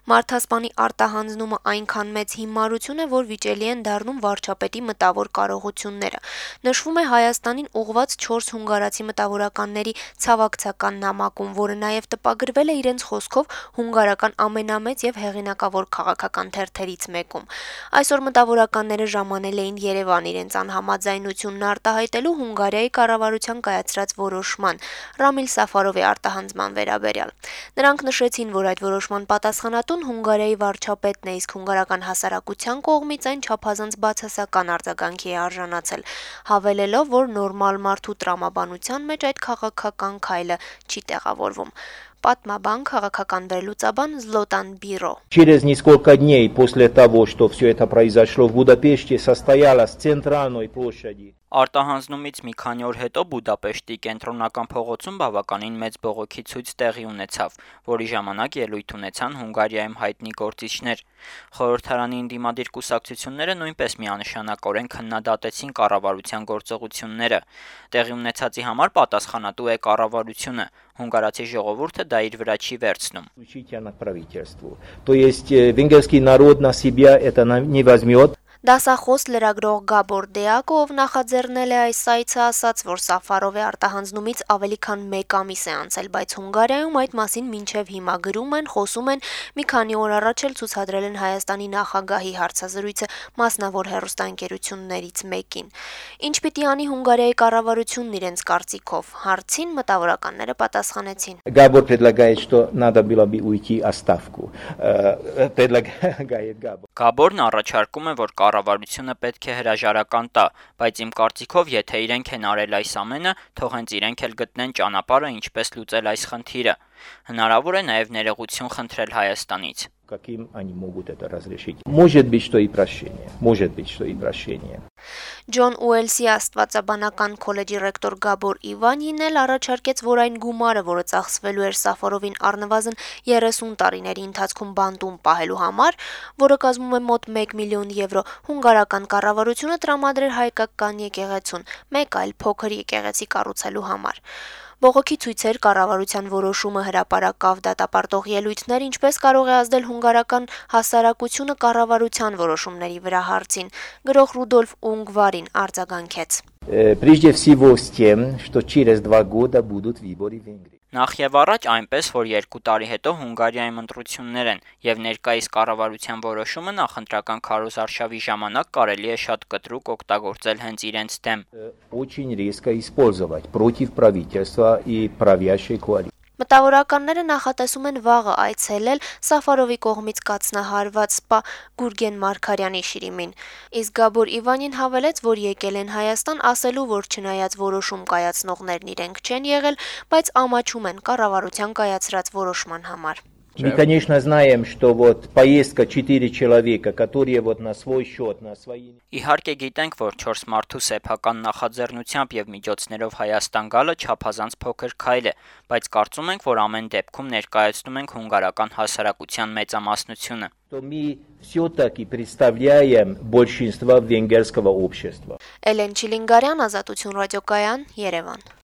Մարդասպանի արտահանձնումը այնքան մեծ հիմարություն է, որ վիճելի են դառնում վարչապետի մտավոր կարողությունները։ Նշվում է Հայաստանին ուղղված 4 հունգարացի մտավորականների ցավակցական նամակում, որը նաև տպագրվել է իրենց խոսքով հունգարական ամենամեծ եւ հեղինակավոր քաղաքական թերթերից մեկում։ Այսօր մտավորականները ժամանել էին Երևան իրենց անհամաձայնությունն արտահայտելու Հունգարիայի կառավարության կայացրած որոշման Ռամիլ Սաֆարովի արտահանձնման վերաբերյալ։ Նրանք նշեցին, որ այդ որոշման պատասխանատուն Հունգարիայի վարչապետն է, իսկ հունգարական հասարակության կողմից այն չափազանց բացասական արձագանքի է արժանացել, հավելելով, որ նորմալ մարդու տրամաբանության մեջ այդ քաղաքական քայլը չի տեղավորվում։ Պատմաբան, քաղաքական վերլուծաբան Զլոտան Բիրո. Через несколько дней после того, что все это произошло в Будапеште, состоялась центральной площади. Արտահանձնումից մի քանի օր հետո Բուդապեշտի կենտրոնական փողոցում բավականին մեծ բողոքի ցույց տեղի ունեցավ, որի ժամանակ ելույթ ունեցան Հունգարիայում հայտնի գործիչներ։ Խորհրդարանի ընդդիմադիր կուսակցությունները նույնպես միանշանակորեն քննադատեցին կառավարության գործողությունները։ Տեղի ունեցածի համար պատասխանատու է կառավարությունը։ Հունգարացի ժողովուրդը դա իր վրա չի վերցնում։ То есть венгерский народ на себя это не возьмет. Դասախոս լրագրող Գաբոր Դեակը, ով նախաձեռնել է այս այցը, ասաց, որ Սաֆարովի արտահանձնումից ավելի քան 1 ամիս է անցել, բայց Հունգարիայում այդ մասին մինչև հիմա գրում են, խոսում են, մի քանի օր առաջ էլ ցուցադրել են Հայաստանի նախագահի հարցազրույցը մասնավոր հեռուստաընկերություններից մեկին։ Ինչ պիտի անի Հունգարիայի կառավարությունն իրենց կարծիքով, հարցին մտավորականները պատասխանեցին. Գաբոր предлагает, что надо было бы уйти отставку. Предлагает Габор. Գաբորն առաջարկում է, որ կառավարությունը պետք է հրաժարական տա, բայց իմ կարծիքով, եթե իրենք են արել այս ամենը, թող հենց իրենք էլ գտնեն ճանապարհը ինչպես լուծել այս խնդիրը։ Հնարավոր է նաև ներողություն խնդրել Հայաստանից։ Каким они могут это разрешить? Может быть, что и прощение. Может быть, что и прощение. Ջոն Ուելսի աստվածաբանական քոլեջի ռեկտոր Գաբոր Իվանին էլ առաջարկեց, որ այն գումարը, որը ծախսվելու էր Սաֆարովին առնվազն 30 տարիների ընթացքում բանտում պահելու համար, որը կազմում է մոտ 1 միլիոն եվրո, հունգարական կառավարությունը տրամադրեր հայկական եկեղեցուն, մեկ այլ փոքր եկեղեցի կառուցելու համար։ Բողոքի ցույցեր, կառավարության որոշումը, հրապարակավ դատապարտող ելույթներ, ինչպես կարող է ազդել հունգարական հասարակությունը կառավարության որոշումների վրա հարցին, գրող Ռուդոլֆ Ունգվարին արձագանքեց. Прежде всего с тем, что через 2 года будут выборы в Венгрии. Նախ եւ առաջ այնպես, որ 2 տարի հետո Հունգարիայում ընտրություններ են, եւ ներկայիս կառավարության որոշումը նախընտրական քարոզարշավի ժամանակ կարելի է շատ կտրուկ օգտագործել հենց իրենց դեմ։ Очень резко использовать против правительства и правящей коалиции. Մտավորականները նախատեսում են վաղը այցելել Սաֆարովի կողմից կացնահարված սպա Գուրգեն Մարգարյանի շիրիմին։ Իսկ Գաբոր Իվանին հավելեց, որ եկել են Հայաստան ասելու, որ չնայած որոշում կայացնողներն իրենք չեն եղել, բայց ամաչում են կառավարության կայացրած որոշման համար։ Мы, конечно, знаем, что вот поездка 4 человека, которые вот на свой счет, на свои... Իհարկե գիտենք, որ 4 մարդու սեփական նախաձեռնությամբ եւ միջոցներով Հայաստան գալը չափազանց փոքր քայլ է, բայց կարծում ենք, որ ամեն դեպքում ներկայացնում ենք հունգարական հասարակության մեծամասնությունը։ То мы все-таки представляем большинство венгерского общества. Էլեն Չիլինգարյան, Ազատություն ռադիոկայան, Երևան։